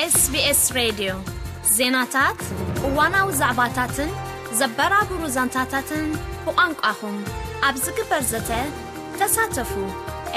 SBS ሬድዮ ዜናታት፣ እዋናዊ ዛዕባታትን ዘበራብሩ ዛንታታትን ብቋንቋኹም ኣብ ዝግበር ዘተ ተሳተፉ።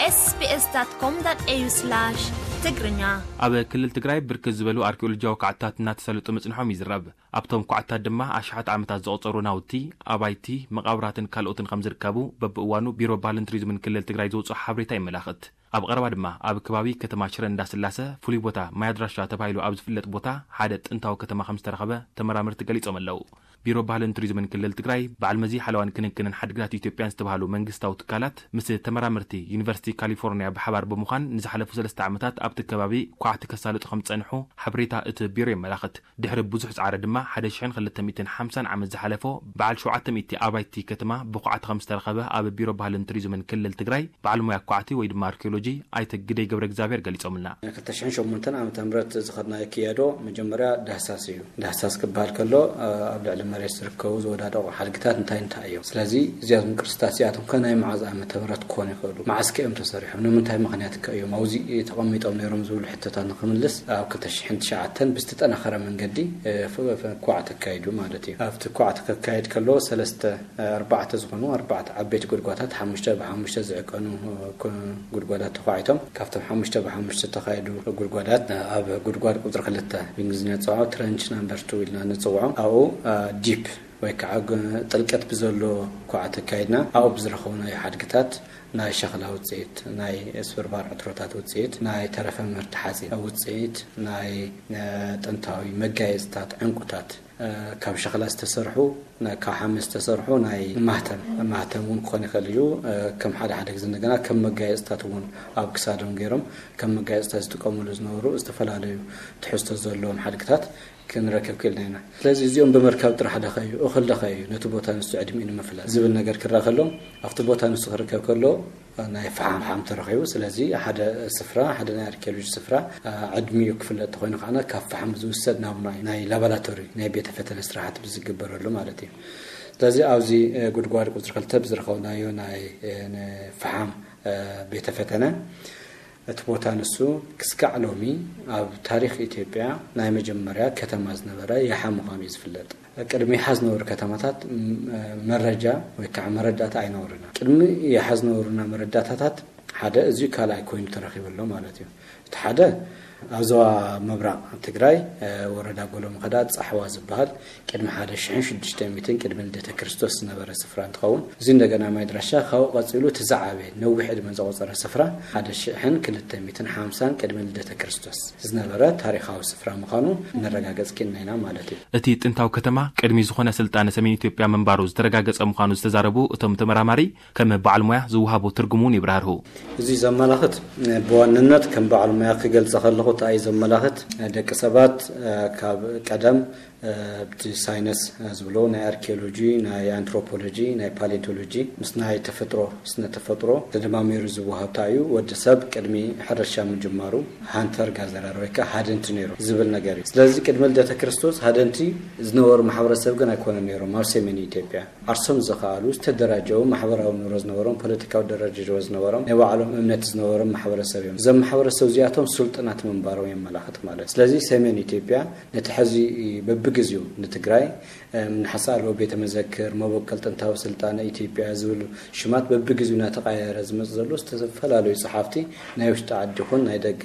ኤስቢኤስ ዳት ኮም ዳት ኤዩ ስላሽ ትግርኛ። ኣብ ክልል ትግራይ ብርክት ዝበሉ ኣርኪኦሎጂያዊ ኳዕትታት እናተሳለጡ ምጽንሖም ይዝረብ። ኣብቶም ኳዕትታት ድማ ኣሽሓት ዓመታት ዘቑጸሩ ናውቲ፣ ኣባይቲ፣ መቓብራትን ካልኦትን ከም ዝርከቡ በብእዋኑ ቢሮ ባህልን ቱሪዝምን ክልል ትግራይ ዘውፅኦ ሓበሬታ የመላኽት። ኣብ ቐረባ ድማ ኣብ ከባቢ ከተማ ሽረ እንዳስላሰ ፍሉይ ቦታ ማይ ኣድራሻ ተባሂሉ ኣብ ዝፍለጥ ቦታ ሓደ ጥንታዊ ከተማ ከም ዝተረኸበ ተመራመርቲ ገሊጾም ኣለዉ። ቢሮ ባህልን ቱሪዝምን ክልል ትግራይ፣ በዓል መዚ ሓለዋን ክንክንን ሓድግታት ኢትዮጵያን ዝተባህሉ መንግስታዊ ትካላት ምስ ተመራመርቲ ዩኒቨርሲቲ ካሊፎርኒያ ብሓባር ብምዃን ንዝሓለፉ ሰለስተ ዓመታት ኣብቲ ከባቢ ኳዕቲ ከሳልጡ ከም ዝጸንሑ ሓበሬታ እቲ ቢሮ የመላኽት። ድሕሪ ብዙሕ ጻዕሪ ድማ ሓደ ሽሕን ክልተ ሚእትን ሓምሳን ዓመት ዝሓለፎ በዓል ሸውዓተ ሚእቲ ኣባይቲ ከተማ ብኳዕቲ ከም ዝተረኸበ ኣብ ቢሮ ባህልን ቱሪዝምን ክልል ትግራይ በዓል ሞያ ኳዕቲ ወይ ድማ ኣርኪኦሎጂ ኣይተ ግደይ ገብረ እግዚኣብሔር ገሊጾምልና። ክልተ ሽሕን ሸሞንተን ዓመተ ምህረት ዝኸድናዮ ክያዶ መጀመርያ ዳህሳስ እዩ። ዳህሳስ ክበሃል ከሎ፣ እ፣ ኣብ ልዕሊ መሬት ዝርከቡ ዝወዳደቑ ሓድግታት እንታይ እንታይ እዮም? ስለዚ እዚኣቶም ቅርስታት እዚኣቶም ከ ናይ መዓዝ ዓመተ ምህረት ክኾኑ ይኽእሉ? መዓዝ ከ እዮም ተሰሪሖም? ንምንታይ ምኽንያት ከ እዮም ኣብዚ ተቐሚጦም ነይሮም ዝብሉ ሕቶታት ንክምልስ ኣብ ክልተ ሽሕን ትሽዓተን ብዝተጠናኸረ መንገዲ፣ እ፣ ፍ-፣ ፍ-፣ ኳዕቲ ኣካይዱ ማለት እዩ። ኣብቲ ኳዕቲ ከካይድ ከሎ ሰለስተ፣ እ፣ ኣርባዕተ ዝኾኑ ኣርባዕተ ዓበይቲ ጉድጓታት ሓሙሽተ ብሓሙሽተ ዝዕቀኑ፣ እ፣ ኮ-፣ ጉድጓዳት ተኳዒቶም። ካብቶም ሓሙሽተ ብሓሙሽተ ዝተኻየዱ ጉድጓዳት፣ እ፣ ኣብ ጉድጓድ ቁፅሪ ክልተ ብእንግሊዝኛ ንፅውዖ ትረንች ናምበር ቱ ኢልና ንፅውዖ። ኣብኡ፣ እ፣ ዲፕ ወይ ከዓ ግ-፣ ጥልቀት ብዘሎ ኳዕቲ ኣካይድና። ኣብኡ ብዝረኸብናዮ ሓድግታት ናይ ሸኽላ ውፅኢት፣ ናይ ስብርባር ዕትሮታት ውፅኢት፣ ናይ ተረፈ ምህርቲ ሓፂን ውፅኢት፣ ናይ፣ እ፣ ጥንታዊ መጋየፅታት፣ ዕንቁታት፣ እ፣ ካብ ሸኽላ ዝተሰርሑ፣ ና-፣ ካብ ሓመድ ዝተሰርሑ ናይ ማህተም፣ ማህተም እውን ክኾን ይኽእል እዩ። እ፣ ከም ሓደ ሓደ ግዜ እንደገና ከም መጋየፅታት እውን ኣብ ክሳዶም ገይሮም ከም መጋየፅታት ዝጥቀሙሉ ዝነበሩ ዝተፈላለዩ ትሕዝቶ ዘለዎም ሓድግታት ክንረክብ ክኢልና ኢና። ስለዚ እዚኦም ብምርካብ ጥራሕ ደኸዩ፣ እኽል ደኸዩ፣ ነቲ ቦታ ንሱ ዕድሚኡ ንምፍላጥ ዝብል ነገር ክረአ ከሎ፣ ኣብቲ ቦታ ንሱ ክርከብ ከሎ ናይ ፈሓም፣ ፈሓም ተረኺቡ። ስለዚ ሓደ ስፍራ፣ ሓደ ናይ ኣርኪኦሎጂ ስፍራ፣ አ፣ ዕድሚኡ ክፍለጥ ተኾይኑ ከዓና ካብ ፈሓም ዝውሰድ ናሙና እዩ። ናይ ላቦራቶሪ፣ ናይ ቤተ ፈተነ ስራሓት ብዝግበረሉ ማለት እዩ። ስለዚ ኣብዚ፣ እ፣ ጉድጓድ ቁፅሪ ክልተ ብዝረኸብናዮ ናይ፣ እ፣ ን-፣ ፈሓም፣ እ፣ ቤተ ፈተነ እቲ ቦታ ንሱ ክስካዕ ሎሚ ኣብ ታሪኽ ኢትዮጵያ ናይ መጀመርያ ከተማ ዝነበረ የሓ ምዃኑ እዩ ዝፍለጥ። ቅድሚ የሓ ዝነበሩ ከተማታት፣ ም-፣ መረጃ ወይ ከዓ መረዳእታ ኣይነበሩና። ቅድሚ የሓ ዝነበሩና መረዳእታታት ሓደ እዚ ካልኣይ ኮይኑ ተረኺቡ ኣሎ ማለት እዩ። እቲ ሓደ ኣብ ዞባ ምብራቕ ትግራይ፣ እ፣ ወረዳ ጎሎ መኸዳ ጻሕዋ ዝበሃል ቅድሚ ሓደ ሽሕን ሽዱሽተ ሚእትን ቅድሚ ልደተ ክርስቶስ ዝነበረ ስፍራ እንትኸውን፣ እዚ እንደገና ማይ ድራሻ ካብኡ ቀጺሉ እቲ ዝዓበየ ነዊሕ ዕድመ ዘቆጸረ ስፍራ ሓደ ሽሕን ክልተ ሚእትን ሓምሳን ቅድሚ ልደተ ክርስቶስ ዝነበረ ታሪኻዊ ስፍራ ምዃኑ ነረጋገጽ ኪኢልና ኢና ማለት እዩ። እቲ ጥንታዊ ከተማ ቅድሚ ዝኾነ ስልጣነ ሰሜን ኢትዮጵያ ምንባሩ ዝተረጋገጸ ምዃኑ ዝተዛረቡ እቶም ተመራማሪ፣ ከም በዓል ሞያ ዝወሃቦ ትርጉም እውን ይብራህርሁ። እዚ ዘመላኽት፣ ብዋንነት ከም በዓል ሞያ ክገልጸ ከለኹ፣ እንታይ እዩ ዘመላኽት? ደቂ ሰባት፣ እ፣ ካብ ቀደም፣ እ፣ ብቲ ሳይነስ፣ እ፣ ዝብሎ ናይ ኣርኪኦሎጂ፣ ናይ ኣንትሮፖሎጂ፣ ናይ ፓሌንቶሎጂ ምስ ናይ ተፈጥሮ፣ ስነ ተፈጥሮ ተደማሚሩ ዝወሃብ እንታይ እዩ? ወዲ ሰብ ቅድሚ ሕርሻ ምጅማሩ ሃንተር ጋዘረር ወይ ከዓ ሃደንቲ ነይሩ ዝብል ነገር እዩ። ስለዚ ቅድሚ ልደተ ክርስቶስ ሃደንቲ ዝነበሩ ማሕበረሰብ ግን ኣይኮነን ነይሮም ኣብ ሰሜን ኢትዮጵያ። ዓርሶም ዝኸኣሉ፣ ዝተደራጀው ማሕበራዊ ኑሮ ዝነበሮም፣ ፖለቲካዊ ደረጃ ዝነበሮም፣ ናይ ባዕሎም እምነት ዝነበሮም ማሕበረሰብ እዮም። እዞም ማሕበረሰብ እዚኣቶም ሱልጥናት ምንባሮም የመላኽት ማለት እዩ። ስለዚ ሰሜን ኢትዮጵያ ነቲ ሕዚ በብግዜኡ ንትግራይ፣ እም፣ ንሓሳሎ ቤተ መዘክር፣ መበቆል ጥንታዊ ስልጣነ ኢትዮጵያ ዝብሉ ሽማት በብግዜኡ እናተቐያየረ ዝመጽእ ዘሎ ዝተፈላለዩ ጸሓፍቲ ናይ ውሽጢ ዓዲ ይኹን ናይ ደገ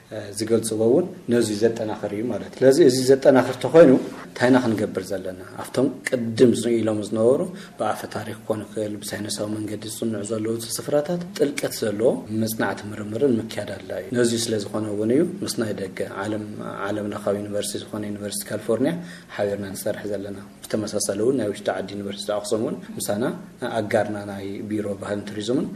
እ፣ ዝገልጽዎ እውን ነዚ ዘጠናኽር እዩ ማለት እዩ። ስለዚ እዚ ዘጠናኽር ተኾይኑ እንታይ ኢና ክንገብር ዘለና? ኣብቶም ቅድም ዝ-፣ ኢሎም ዝነበሩ ብኣፈ ታሪኽ ክኾን ይኽእል፣ ብሳይነሳዊ መንገዲ ዝጽንዑ ዘለዉ ስፍራታት ጥልቀት ዘለዎ መጽናዕቲ ምርምርን ምክያድ ኣድላዩ እዩ። ነዚ ስለ ዝኾነ እውን እዩ ምስ ናይ ደገ ዓለም፣ ዓለም ለኻዊ ዩኒቨርሲቲ ዝኾነ ዩኒቨርሲቲ ካሊፎርኒያ ሓቢርና ንሰርሕ ዘለና። ብተመሳሳሊ እውን ናይ ውሽጢ ዓዲ ዩኒቨርሲቲ ኣኽሱም እውን ምሳና ኣጋርና ናይ ቢሮ ባህልን ቱሪዝምን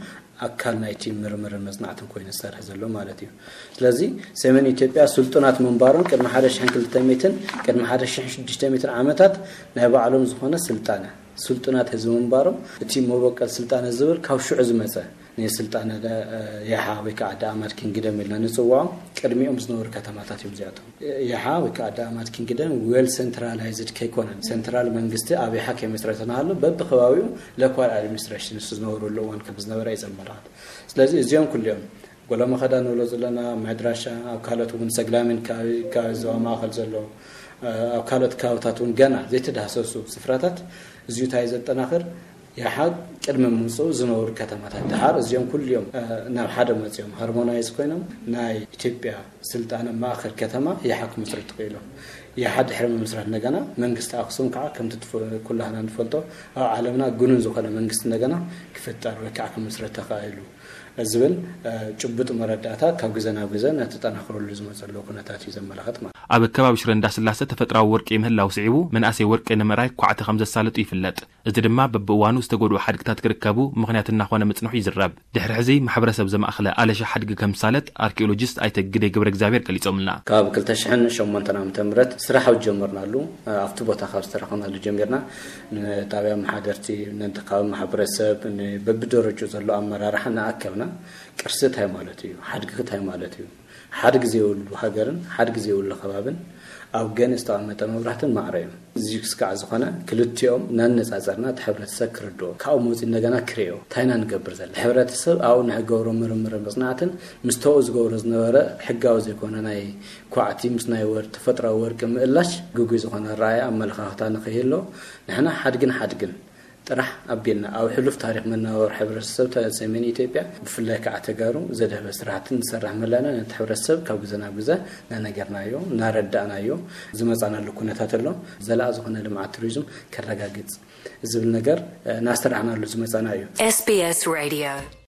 ኣካል ናይቲ ምርምርን መጽናዕትን ኮይኑ ዝሰርሕ ዘሎ ማለት እዩ። ስለዚ ሰሜን ኢትዮጵያ ስልጡናት ምንባሮም ቅድሚ ሓደ ሽሕን ክልተ ሚእትን ቅድሚ ሓደ ሽሕን ሽዱሽተ ሚእትን ዓመታት ናይ ባዕሎም ዝኾነ ስልጣነ፣ ስልጡናት ህዝቢ ምንባሮም እቲ መበቆል ስልጣነ ዝብል ካብ ሽዑ ዝመጸ ናይ ስልጣነ፣ እ፣ የሓ ወይ ከዓ ዳኣማት ኪንግደም ኢልና ንጽውዖም ቅድሚኦም ዝነበሩ ከተማታት እዮም እዚኣቶም። የሓ ወይ ከዓ ዳኣማት ኪንግደም ዌል ሴንትራላይዝድ ከይኮነን፣ ሴንትራል መንግስቲ ኣብ የሓ ከይመስረተ እናሃሎ በብከባቢኡ ሎካል ኣድሚኒስትሬሽን ንሱ ዝነበረሉ እዋን ከም ዝነበረ እዩ ዘመላኽት። ስለዚ እዚኦም ኩሊኦም ወለመኸዳ ንብሎ ዘለና፣ ምዕድራሻ፣ ኣብ ካልኦት እውን ሰግላሚን ከባቢ፣ ከባቢ ዞባ ማእኸል ዘሎ፣ ኣብ ካልኦት ከባብታት እውን ገና ዘይተዳህሰሱ ስፍራታት እዚዩ እንታይ ዘጠናኽር? የሓ ቅድሚ ምምፅኡ ዝነበሩ ከተማታት ደሓር እዚኦም ኩልዮም ናብ ሓደ መፅኦም ሃርሞናይዝ ኮይኖም ናይ ኢትዮጵያ ስልጣነ ማእኸል ከተማ የሓ ክምስርቱ ክኢሎም። የሓ ድሕሪ ምምስራት እንደገና መንግስቲ ኣክሱም ከዓ ከምቲ ኩላህና ንፈልጦ ኣብ ዓለምና ግኑን ዝኾነ መንግስቲ እንደገና ክፍጠር ወይ ከዓ ክምስረት ተኻኢሉ ዝብል ጭቡጥ መረዳእታ ካብ ግዘ ናብ ግዘ እናተጠናኽረሉ ዝመፀሉ ኩነታት እዩ ዘመላኽት ማለት። ኣብ ከባቢ ሽረ እንዳስላሰ ተፈጥራዊ ወርቂ ምህላው ስዒቡ መናእሰይ ወርቂ ንምእራይ ኳዕቲ ከም ዘሳልጡ ይፍለጥ። እዚ ድማ በብእዋኑ ዝተጎድኡ ሓድግታት ክርከቡ ምኽንያት እናኾነ ምጽንሑ ይዝረብ። ድሕሪ ሕዚ ማሕበረሰብ ዘማእኸለ ኣለሻ ሓድጊ ከም ዝሳለጥ ኣርኪኦሎጂስት ኣይተ ግደይ ገብረ እግዚኣብሔር ገሊጾምልና። ካብ ክልተ ሽሕን ሸሞንተን ዓመተ ምህረት ስራሕ ኣብ ጀመርናሉ ኣብቲ ቦታ ካብ ዝተረኸብናሉ ጀሚርና ንጣብያ መሓደርቲ፣ ነንቲ ከባቢ ማሕበረሰብ፣ በብደረጁ ዘሎ ኣመራርሓ እናኣከብና ቅርሲ እንታይ ማለት እዩ፣ ሓድጊ እንታይ ማለት እዩ፣ ሓድጊ ዘይብሉ ሃገርን ሓድጊ ዘይብሉ ከባብን ኣብ ገን ዝተቐመጠ መብራህትን ማዕረ እዮም። እዚ ክስካዕ ዝኾነ ክልቲኦም እናነፃፀርና እቲ ሕብረተሰብ ክርድኦ ካብኡ መፂኡ እንደገና ክርእዮ እንታይ ኢና ንገብር ዘለና? ሕብረተሰብ ኣብኡ ንሕገብሮ ምርምር መፅናዕትን ምስ ተኡ ዝገብሮ ዝነበረ ሕጋዊ ዘይኮነ ናይ ኳዕቲ ምስ ናይ ወር ተፈጥራዊ ወርቂ ምእላሽ ግጉይ ዝኾነ ኣረኣእያ ኣመለኻኽታ ንኸይህሎ ንሕና ሓድግን ሓድግን ጥራሕ ኣቢልና ኣብ ሕሉፍ ታሪኽ መነባበሮ ሕብረተሰብ ሰሜን ኢትዮጵያ ብፍላይ ከዓ ተጋሩ ዘድሀበ ስራሕቲ ንሰርሕ ምህላና ነቲ ሕብረተሰብ ካብ ግዘ ናብ ግዘ እናነገርናዮ እናረዳእናዮ ዝመፃናሉ ኩነታት ኣሎ። ዘላቂ ዝኾነ ልምዓት ቱሪዝም ከረጋግፅ ዝብል ነገር እናሰራሕናሉ ዝመፃና እዩ። SBS Radio